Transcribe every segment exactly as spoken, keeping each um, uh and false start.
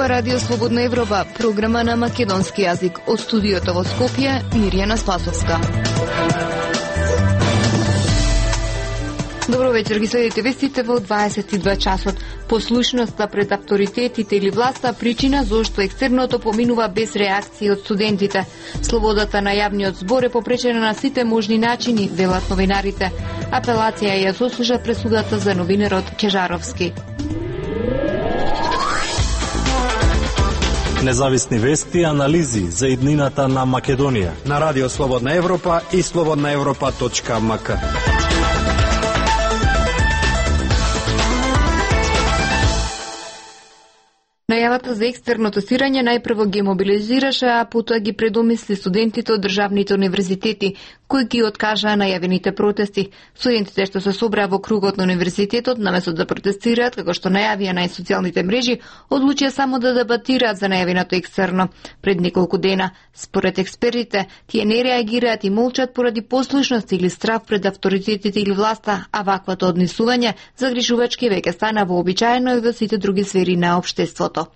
Ова радио Слободна Европа, програма на македонски јазик. Од студиото во Скопје, Мирјана Спасовска. Добро вечер, ги следите вестите во дваесет и два часот. Послушноста пред авторитетите или власта причина зошто екстерното поминува без реакции од студентите. Слободата на јавниот збор е попречена на сите можни начини, велат новинарите. Апелација ја сослужа пресудата за новинерот Кежаровски. Независни вести и анализи за иднината на Македонија на Радио Слободна Европа и слободна европа точка ем ка. Најавата за екстерно тестирање најпрво ги мобилизираше, а потоа ги предомисли студентите од државните универзитети, кои ги откажаа најавените протести. Студентите што се собраа во кругот на универзитетот, наместо да протестираат, како што најавија на социјалните мрежи, одлучија само да дебатираат за најавеното екстерно. Пред неколку дена, според експертите, тие не реагираат и молчат поради послушност или страв пред авторитетите или власта, а ваквото однесување загрижувачки веќе стана вообичаено и во сите други сфери на општеството.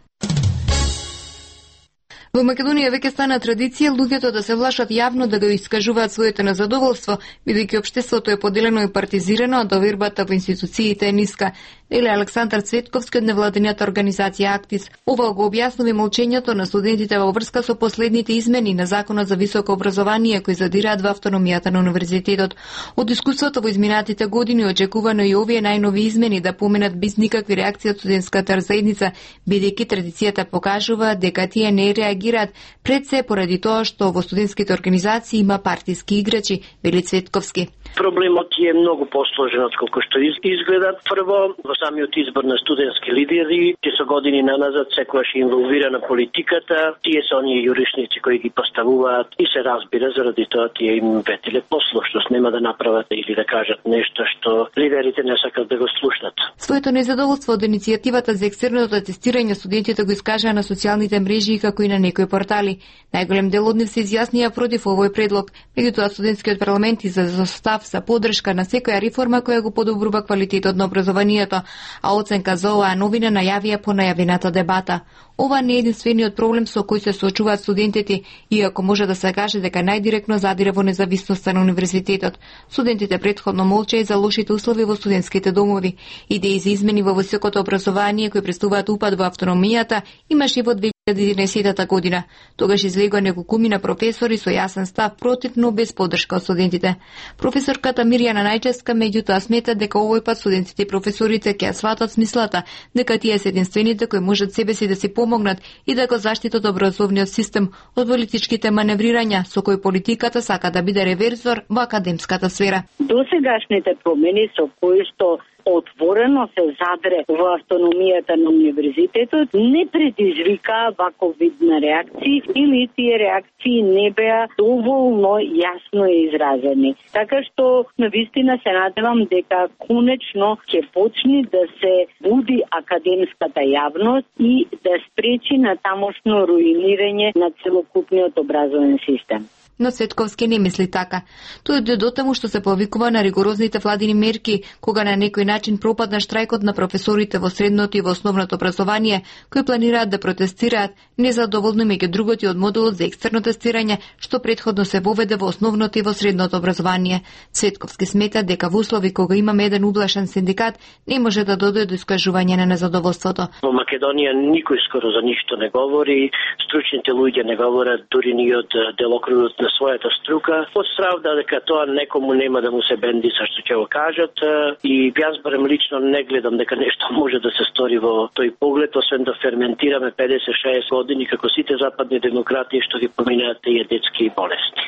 Во Македонија веќе стана традиција луѓето да се влашат јавно да го искажуваат своето незадоволство, бидејќи општеството е поделено и партизирано, а довербата во институциите е ниска. Или Александар Цветковски од невладината организација Актис. Ова го објаснува молчењето на студентите во врска со последните измени на Законот за високо образование кои задираат во автономијата на универзитетот. Од искуството во изминатите години очекувано и овие најнови измени да поминат без никакви реакции од студентската заедница, бидејќи традицијата покажува дека тие не реагираат пред се поради тоа што во студентските организации има партиски играчи, вели Цветковски. Проблемот е многу посложен од колку што изгледа. Прво, во самиот избор на студентски лидери, тие со години наназад секогаш инволвирана политиката, тие се оние јуришници кои ги поставуваат и се разбира заради тоа тие им ветиле послушност, нема да направат или да кажат нешто што лидерите не сакат да го слушнат. Своето незадоволство од иницијативата за екстерното тестирање студентите го искажаа на социјалните мрежи како и на некои портали. Најголем дел од нив се изјаснија против овој предлог, меѓутоа студентскиот парламент изразил став за поддршка на секоја реформа која го подобрува квалитетот на образованието, а оценка за оваа новина најавија по најавената дебата. Ова не е единствениот проблем со кој се соочуваат студентите, иако може да се каже дека најдиректно задире во независноста на универзитетот. Студентите претходно молчеа и за лошите услови во студентските домови. Идеи за измени во високото образование кои представуваат упад во автономијата имаше во две илјади и единаесетта година. Тогаш излегоа неколкумина професори со јасен став против, но без поддршка од студентите. Професорката Мирјана Најчевска меѓутоа смета дека овој пат студентите и професорите ќе сватат смислата дека тие се единствените кои можат себе си да си помогнат и да го заштитат образовниот систем од политичките маневрирања со кои политиката сака да биде реверзор во академската сфера. Досегашните промени со кои што отворено се задре во автономијата на универзитетот не предизвика ваков вид на реакции или тие реакции не беа доволно јасно изразени. Така што навистина се надевам дека конечно ќе почне да се буди академската јавност и да спречи на тамошно руинирање на целокупниот образовен систем. Но Цветковски не мисли така. Тој дојде до таму што се повикува на ригорозните владини мерки, кога на некој начин пропадна штрајкот на професорите во средното и во основното образование, кои планираат да протестираат незадоволни меѓу другото од модулот за екстерно тестирање, што претходно се воведе во основното и во средното образование. Цветковски смета дека во услови кога имаме еден ублашен синдикат, не може да дојде до искажување на незадоволството. Во Македонија никој скоро за ништо не говори, стручните луѓе не говорат дури ни од делокружот на својата струка, од страв да дека тоа некому нема да му се бенди со што ќе го кажат, и јас барем лично не гледам дека нешто може да се стори во тој поглед, освен да ферментираме педесет шеесет години како сите западни демократии што ги поминаат тие детски болести.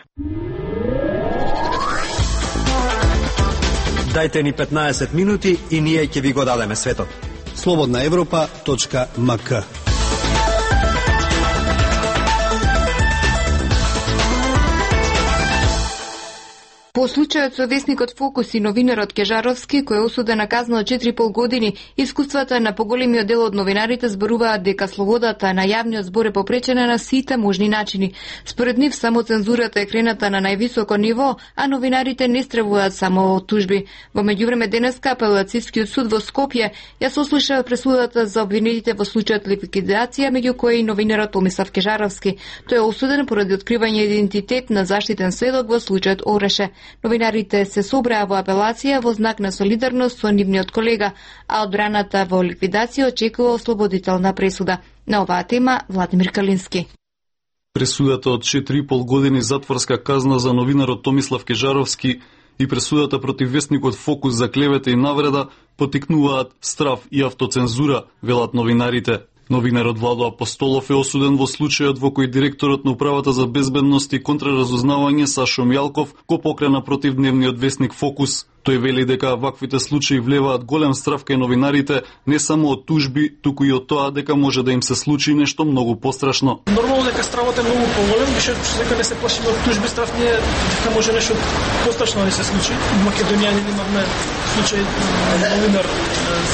Дајте ни петнаесет минути и ние ќе ви го дадеме светот. слободна европа точка ем ка. По случајот со весникот Фокус и новинарот Кежаровски, кој е осуден на казна од четири и пол години, искуствата на поголемиот дел од новинарите зборуваат дека слободата на јавниот збор е попречена на сите можни начини. Според нив само цензурата е крената на највисоко ниво, а новинарите не стравуваат само од тужби. Во меѓувреме денеска апелацискиот суд во Скопје ја сослуша пресудата за обвинетите во случајот ликвидација, меѓу кои и новинарот Томислав Кежаровски. Тој е осуден поради откривање идентитет на заштитен сведок во случајот Ореше. Новинарите се собраа во апелација во знак на солидарност со нивниот колега, а одбраната во ликвидација очекува ослободителна пресуда. На оваа тема Владимир Калински. Пресудата од четири и пол години затворска казна за новинарот Томислав Кежаровски и пресудата против весникот Фокус за клевета и навреда потикнуваат страв и автоцензура, велат новинарите. Новинарот Владо Апостолов е осуден во случајот во кој директорот на Управата за безбедност и контраразузнавање Сашо Мјалков го покрена против дневниот весник Фокус. Тој вели дека ваквите случаи влеваат голем страв кај новинарите, не само од тужби, туку и од тоа дека може да им се случи нешто многу пострашно. Нормално дека стравот е многу поголем, више дека не се плашиме од тужби, страв не е дека може нешто пострашно да се случи. В Македонија не имавме случај новинар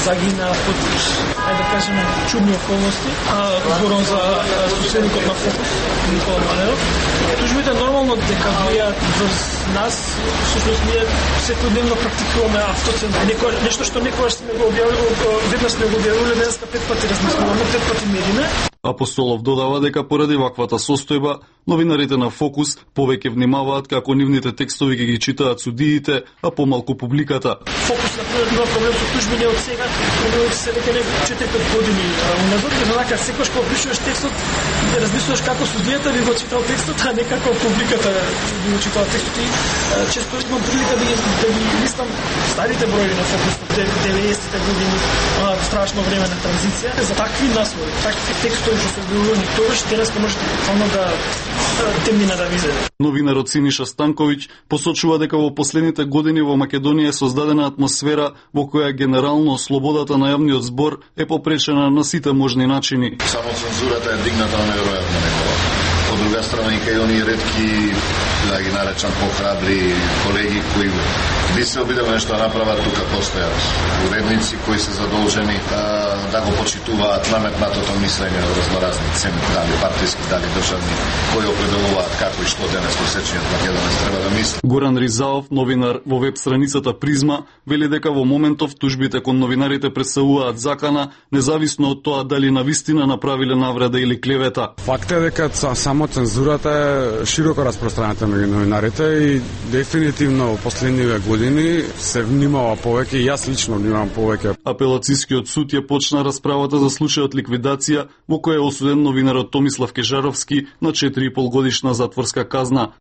загина под, ајде да кажеме, чудни околности, а зборам за соседникот на Фокус, Никола Малеров. Тужбите нормално дека влијаат врз нас, всушност ние секојдневно практикуваме автоцензура. Некој нешто што некогаш сме го објавили, веднаш сме го објавили, денеска пет пати размислуваме, пет пати мериме. Апостолов додава дека поради ваквата состојба, новинарите на Фокус повеќе внимаваат како нивните текстови ги ги читаат судиите, а помалку публиката. Фокус на има проблем со тужби не од сега, проблемот се веќе не четири пет години уназад, однака секогаш кога пишуваш текстот, размислуваш како судијата би го читал текстот, а не како публиката би го читала текстот. И често имам прилика да ги, да ги листам старите броји на Фокус од деветдесетте години, а, страшно време на транзиција. За такви наслови, такви текстови што се објавувани тогаш, денеска можете буквално да темнина да визе. Новинарот Синиша Станковиќ посочува дека во последните години во Македонија е создадена атмосфера во која генерално слободата на јавниот збор е попречена на сите можни начини. Само цензурата е дигната на неверојатно ниво. Од друга страна и кај оние ретки, да ги наречам похрабри колеги кои би се обидели нешто да направат, тука постојат уредници кои се задолжени да, да го почитуваат наметнатото мислење од разноразни цени, дали партиски, дали државни, кои определуваат како и што денес просечниот македонец треба да мисли. Горан Ризаов, новинар во веб страницата Призма, вели дека во моментов тужбите кон новинарите представуваат закана, независно од тоа дали навистина направиле навреда или клевета. Факт е дека само цензурата е широко распространета меѓу новинарите и дефинитивно во последниве години се внимава повеќе и јас лично внимавам повеќе. Апелацискиот суд ја почна расправата за случајот ликвидација во која е осуден новинарот Томислав Кежаровски на четири и пол годишна затворска казна.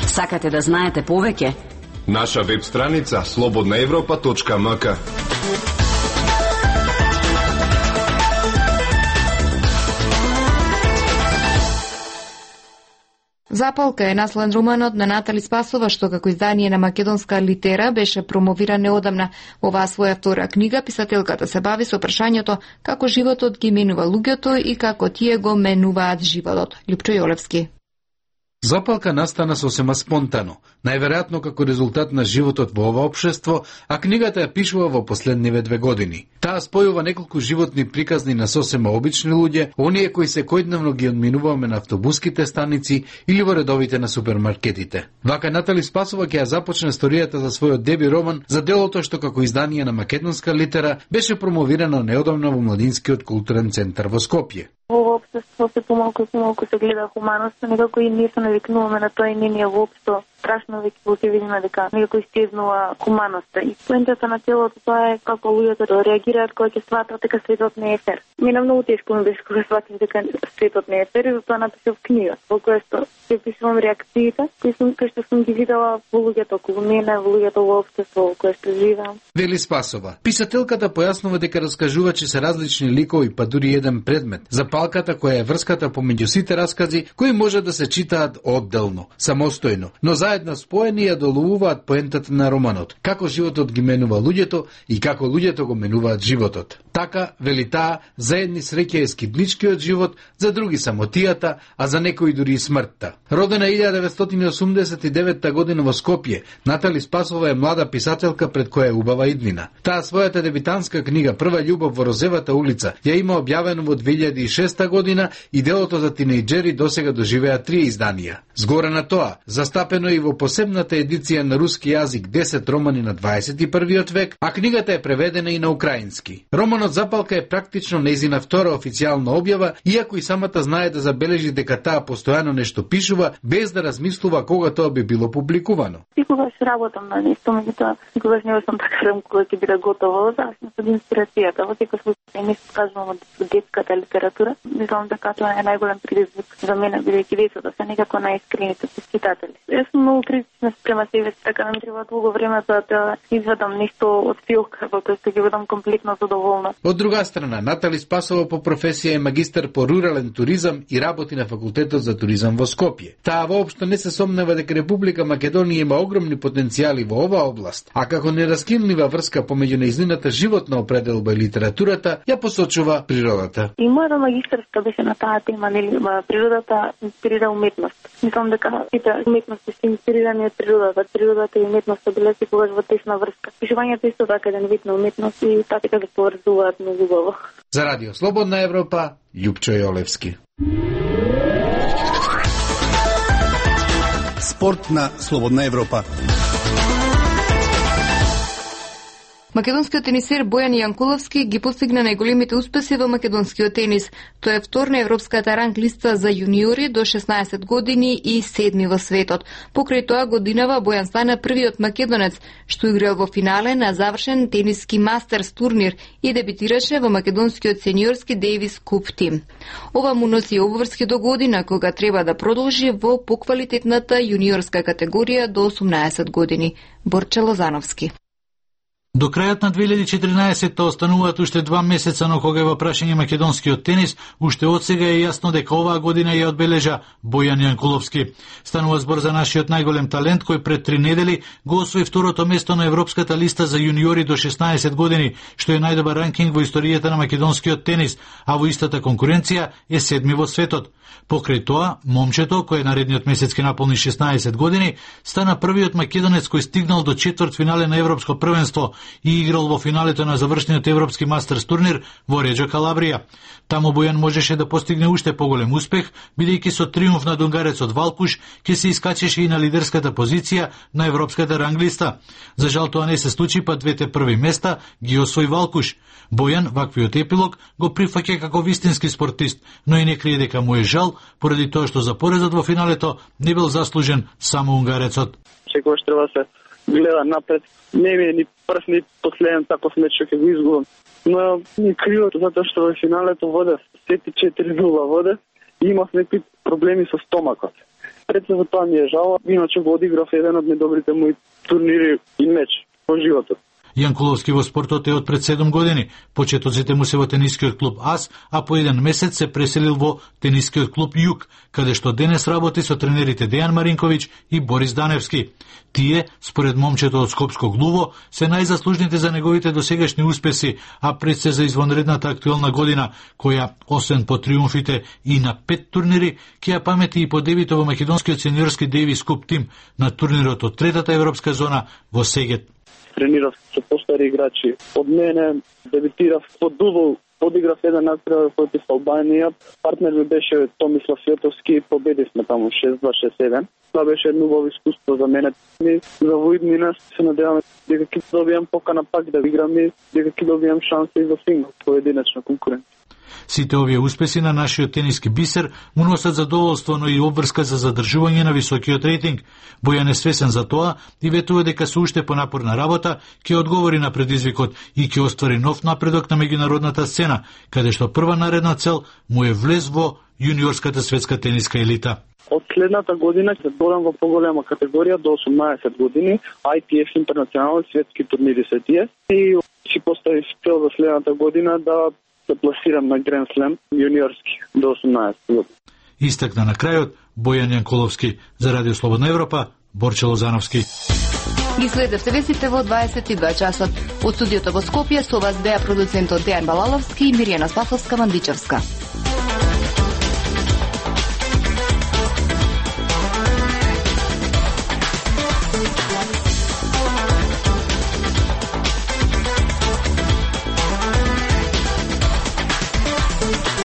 Сакате да знаете повеќе? Наша веб страница слободна европа точка ем ка. Запалка е наследен романот на Натали Спасова, што како издание на македонска литера беше промовиран неодамна. Оваа своја втора книга писателката се бави со прашањето како животот ги менува луѓето и како тие го менуваат животот. Лјупчо Јолевски. Запалка настана сосема спонтано, најверојатно како резултат на животот во ова општество, а книгата ја пишува во последниве две години. Таа спојува неколку животни приказни на сосема обични луѓе, оние кои секојдневно ги одминуваме на автобуските станици или во редовите на супермаркетите. Вака Натали Спасова ќе ја започне историјата за својот деби роман за делото што како издание на македонска литера беше промовирано неодамна во Младинскиот културен центар во Скопје. Во општество се помалку и помалку се гледа хуманоста, некако и ние се навикнуваме на тоа и не ни е воопшто страшно веќе во ќе видиме дека некако истезнува хуманоста. И поентата на целото тоа е како луѓето да реагираат кога ќе сватат дека светот не е фер. Мина многу тешко ми беше кога сватив дека светот не е фер и затоа напишав книга, во која што ќе пишувам реакциите кои сум кои што сум ги видела во луѓето околу мене, во луѓето во општество во кое што живеам. Вели Спасова. Писателката појаснува дека раскажувачи се различни ликови, па дури еден предмет. Запалката која е врската помеѓу сите раскази кои може да се читаат одделно, самостојно, но заедно споени ја доловуваат поентата на романот, како животот ги менува луѓето и како луѓето го менуваат животот. Така, вели таа, за едни среќа е скидничкиот живот, за други самотијата, а за некои дури и смртта. Родена илјада деветстотини осумдесет и девета година во Скопје, Натали Спасова е млада писателка пред која е убава иднина. Таа својата дебитантска книга Прва љубов во Розевата улица ја има објавено во две илјади и шеста година и делото за тинејџери досега доживеа три изданија. Згора на тоа, застапено и во посебната едиција на руски јазик десет романи на дваесет и првиот век, а книгата е преведена и на украински. Романот Запалка е практично нејзина втора официјална објава, иако и самата знае да забележи дека таа постојано нешто пишува, без да размислува кога тоа би било публикувано. Секогаш работам на нешто, меѓутоа секогаш не сум така кога ќе биде готово, зависно од инспирацијата. Во секој случај не кажувам од детската литература. Мислам дека тоа е најголем предизвик за мене, бидејќи децата се некако најискрените читатели. Јас сум многу критична спрема себе, така да ми треба долго време за да извадам нешто од филка, во тоа што ќе бидам комплетно задоволна. Од друга страна, Натали Спасова по професија е магистар по рурален туризам и работи на факултетот за туризам во Скопје. Таа воопшто не се сомнева дека Република Македонија има огромни потенцијали во оваа област, а како нераскинлива врска помеѓу нејзината животна определба и литературата ја посочува природата. И мојата магистарска беше на таа тема, нели, природата инспирира уметност. Мислам дека сите уметности се инспирирани од природата. Природата и уметноста биле секогаш во тесна врска. Пишувањето исто така еден вид на уметност и така да поврзуваат многу убаво. За Радио Слободна Европа, Љупчо Јолевски. Спорт на Слободна Европа. Македонскиот тенисер Бојан Јанкуловски ги постигна најголемите успеси во македонскиот тенис. Тој е втор на европската ранг листа за јуниори до шеснаесет години и седми во светот. Покрај тоа годинава Бојан стана првиот македонец што играл во финале на завршен тениски мастерс турнир и дебитираше во македонскиот сениорски Дейвис Куп тим. Ова му носи обврски до година кога треба да продолжи во поквалитетната јуниорска категорија до осумнаесет години. Борче Лозановски. До крајот на две илјади и четиринаесетта остануваат уште два месеца, но кога е во прашање македонскиот тенис, уште од сега е јасно дека оваа година ја одбележа Бојан Јанкуловски. Станува збор за нашиот најголем талент кој пред три недели го освои второто место на европската листа за јуниори до шеснаесет години, што е најдобар ранкинг во историјата на македонскиот тенис, а во истата конкуренција е седми во светот. Покрај тоа, момчето, кој наредниот месец ке наполни шеснаесет години, стана првиот македонец кој стигнал до четврт финале на европско првенство и играл во финалето на завршниот европски мастерс турнир во Реджо Калабрија. Таму Бојан можеше да постигне уште поголем успех, бидејќи со триумф над унгарецот Валкуш ќе се искачеше и на лидерската позиција на европската ранглиста. За жал тоа не се случи, па двете први места ги освои Валкуш. Бојан ваквиот епилог го прифаќа како вистински спортист, но и не крие дека му е жал поради тоа што за поредот во финалето не бил заслужен само унгарецот. Секогаш треба се гледа напред. Не ми е ни прв ни последен таков меч што ќе го изгубам. Но ни криво затоа што во финалето воде сети четири нула воде и имав некои проблеми со стомакот. Пред се за тоа ми е жал, иначе го одиграв еден од најдобрите мои турнири и меч во животот. Јанкуловски во спортот е од пред седум години. Почетоците му се во тенискиот клуб АС, а по еден месец се преселил во тенискиот клуб Југ, каде што денес работи со тренерите Дејан Маринковиќ и Борис Даневски. Тие, според момчето од Скопско Глуво, се најзаслужните за неговите досегашни успеси, а пред се за извонредната актуелна година, која, освен по триумфите и на пет турнири, ќе ја памети и по дебито во македонскиот сениорски Дейвис Куп тим на турнирот од третата европска зона во Сегет. Тренирав со постари играчи од мене, дебитирав под Дубол, одиграв еден надпревар против Албанија. Партнер ми беше Томислав Јотовски, победивме таму шест два шест еден. Тоа беше едно убаво искуство за мене. Ми за воиднина се надеваме дека ќе добијам покана пак да играм и дека ќе добијам шанса и во сингл, поединечна конкуренција. Сите овие успеси на нашиот тениски бисер му носат задоволство, но и обврска за задржување на високиот рейтинг. Бојан е свесен за тоа и ветува дека со уште понапорна работа ќе одговори на предизвикот и ќе оствари нов напредок на меѓународната сцена, каде што прва наредна цел му е влез во јуниорската светска тениска елита. Од следната година ќе додам во поголема категорија до осумнаесет години, Ай Ти Еф интернационални светски турнири се тие и си постави цел за следната година да се пласирам на Гранд Слем јуниорски до осумнаесет години. Истакна на крајот Бојан Јанкуловски за Радио Слободна Европа, Борче Лозановски. Ги следевте вестите во дваесет и два часот. Од студиото во Скопје со вас беа продуцентот Дејан Балаловски и Миријана Спасовска-Мандичевска.